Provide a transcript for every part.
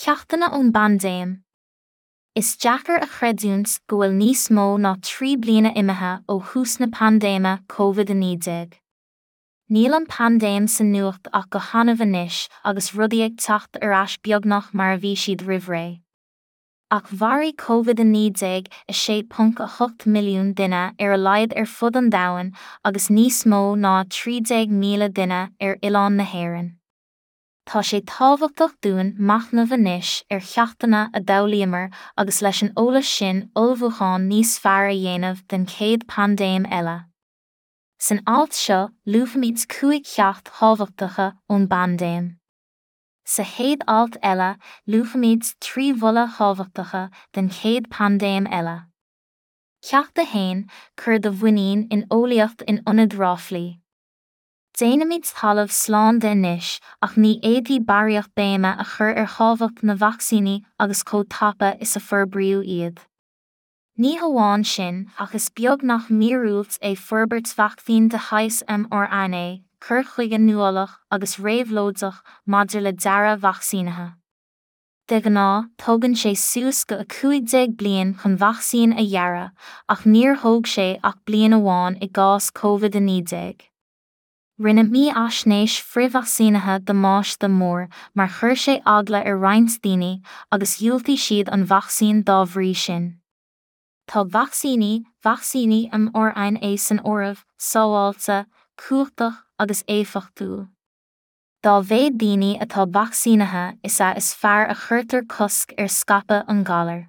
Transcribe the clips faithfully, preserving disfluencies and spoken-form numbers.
Ceachtanna ón bpaindéim. Is deacair a chreidiúint go bhfuil níos mó ná trí bliana imithe ó thús na paindéime Covid a naoi déag. Níl an paindéim sa nuacht ach go hannamh anois agus rudaí ag teacht ar ais beagnach mar a bhí siad roimh ré. Ach mharaigh Covid a naoi déag a sé ponc a hocht milliún duine ar a laghad ar fud an domhain agus níos mó ná trí déag míle duine ar oileán na hÉireann. Tá sé tábhachtach dúinn machnamh anois ar cheachtanna a d'fhoghlaíomar agus leis an eolas sin ullmhúchán níos fearr a dhéanamh den chéad paindéim eile. San alt seo, luafaimid cúig cheacht thábhachtacha ón bpaindéim. Sa chéad alt eile, luafaimid trí mholadh thábhachtacha den chéad paindéim eile. Ceacht a haon, cuir do mhuinín in eolaíocht in ionad ráflaí. Déanaimid talamh slán de anois ach ní fhéadfaí barraíocht béime a chur ar thábhacht na vacsaíní agus chomh tapa is a forbraíodh iad. Ní hamháin sin ach is beag nach míorúilt é forbairt vacsaín de shaghas mRNA, cur chuige nuálach agus réabhlóideach maidir le dearadh vacsaínithe. De ghnáth, tógann sé suas go a cúig déag bliain chun vacsaín a dhearadh, ach níor thóg sé ach bliain amháin i gcás Covid a naoi déag. Rinne mífhaisnéis frithvacsaínithe damáiste mór mar chuir sé eagla ar roinnt daoine agus dhiúltaigh siad an vacsaín dá bhrí sin. Tá vacsaíní, vacsaíní mRNA san áireamh, sábháilte, cumhachtach agus éifeachtúil. Dá mhéad daoine atá vacsaínithe is ea is fearr a chuirtear cosc ar scaipeadh an ghalair.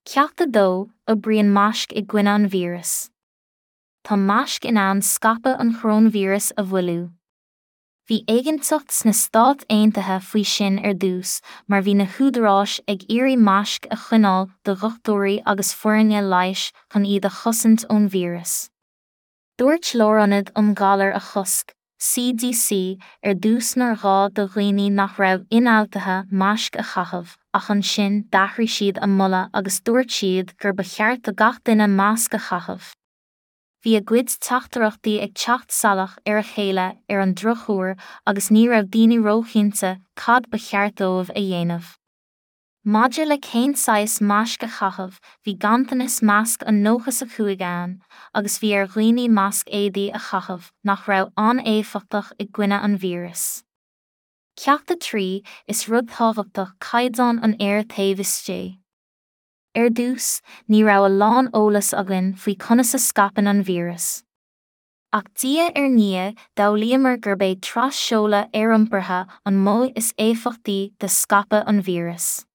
Ceacht a dó, oibríonn maisc i gcoinne an víreas. Tá maisc in ann scaipeadh an choróinvíreas a mhoilliú. Bhí éiginnteacht sna Stáit Aontaithe faoi sin ar dtús mar bhí na húdaráis ag iarraidh maisc a choinneáil do dhochtúirí agus foirne leighis chun iad a chosaint ón víreas. Dúirt Lárionad um Ghalair a Chosc, C D C, ar dtús nár ghá do dhaoine nach raibh ionfhabhtaithe maisc a chaitheamh, ach ansin d'athraigh siad a moladh agus dúirt siad gur ba cheart do gach duine masc a chaitheamh. Bhí a gcuid teachtaireachtaí ag teacht salach ar a chéile ar an drochuair agus ní raibh daoine róchinnte cad ba cheart dóibh a dhéanamh. Maidir le cén saghas maisc a chaitheamh, bhí ganntanas masc an nócha a cúig ann, agus bhí ar dhaoine masc éadaí a chaitheamh nach raibh an-éifeachtach i gcoinne an víreas. Ceacht a trí, is rud tábhachtach caighdeán an aeir taobh istigh. Ar dtús, ní raibh a lán eolas againn faoi conas a scaipeann an víreas. Ach diaidh ar ndiaidh, d'fhoghlaíomar gurb é tras-seoladh aeriompartha an modh is éifeachtaí de scaipeadh an víreas.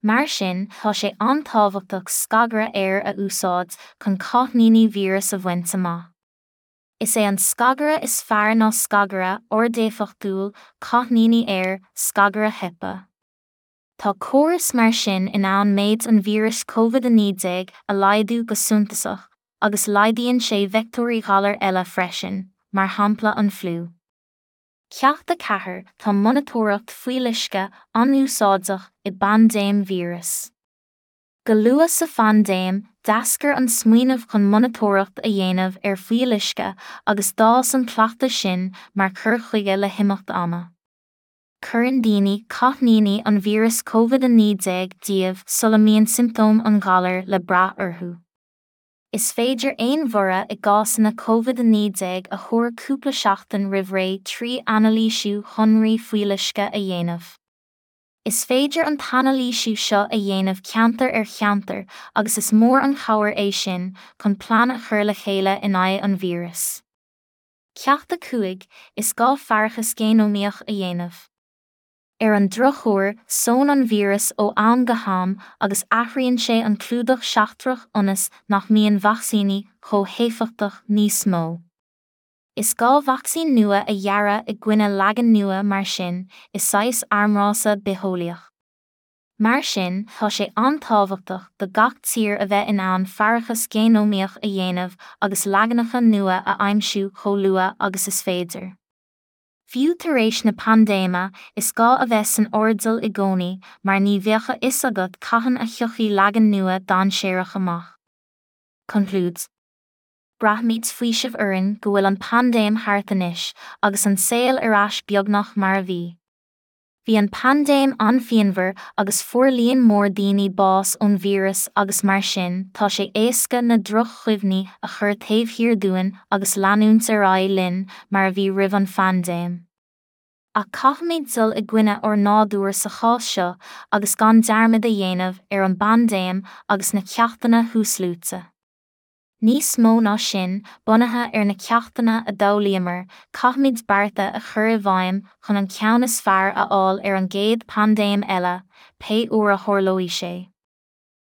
Mar sin, tá sé an-tábhachtach scagaire aeir a úsáid chun cáithníní víreas a bhaint amach. Is é an scagaire is fearr ná scagaire ardéifeachtúil cáithníní aeir, scagaire HEPA. Tá córas mar sin in ann méid an víris Covid a naoi déag a laghdú go suntasach, agus laghdaíonn sé veicteoirí ghalar eile freisin, mar shampla an fliú. Ceacht a ceathair, tá monatóireacht fuíolluisce an-úsáideach i bpaindéim víreas. Go luath sa phaindéim, d'eascair an smaoineamh chun monatóireacht a dhéanamh ar fuíolluisce agus d'fhás an cleachtadh sin mar chur chuige le himeacht ama. Cuireann daoine cáithníní an víreas Covid a naoi déag díobh sula mbíonn siomptóim an ghalair le brath orthu. Is féidir aon bhorradh i gcásanna Covid a naoi déag a thuar cúpla seachtain roimh ré trí anailísiú shonraí fuíolluisce a dhéanamh. Is féidir an t-anailísiú seo a dhéanamh ceantar ar cheantar agus is mór an chabhair é sin chun plean a chur le chéile in aghaidh an víreas. Ceacht a cúig, is gá faireachas géanómaíoch a dhéanamh. Ar an drochuair, sónn an víreas ó am go ham agus athraíonn sé an clúdach seachtrach ionas nach mbíonn vacsaíní chomh héifeachtach níos mó. Is gá vacsaín nua a dhearadh i gcoinne leagan nua mar sin i saghas armrása bitheolaíoch. Mar sin, tá sé an-tábhachtach do gach tír a bheith in ann faireachas géanómaíoch a dhéanamh agus leaganacha nua a aimsiú chomh luath agus is féidir. Fiú tar éis na paindéime, is gá a bheith san airdeall i gcónaí mar ní bheadh a fhios agat cathain a thiocfaidh leagan nua dainséarach amach. Conclúid. Braithimid faoiseamh orainn go bhfuil an paindéim thart anois agus an saol ar ais beagnach mar a bhí. Bhí an paindéim an-phianmhar agus fuair líon mór daoine bás ón víreas agus mar sin tá sé éasca na droch-chuimhní a chur taobh thiar dúinn agus leanúint ar aghaidh linn mar a bhí roimh an phaindéim. Ach caithfimid dul i gcoinne ár nádúir sa chás seo agus gan dearmad a dhéanamh ar an bpaindéim agus na ceachtanna thuasluaite. Níos mó ná sin, bunaithe ar na ceachtanna a d'fhoghlaíomar, caithfimid bearta a chur i bhfeidhm chun an ceann is fearr a fháil ar an gcéad paindéim eile, pé uair a tharlóidh sé.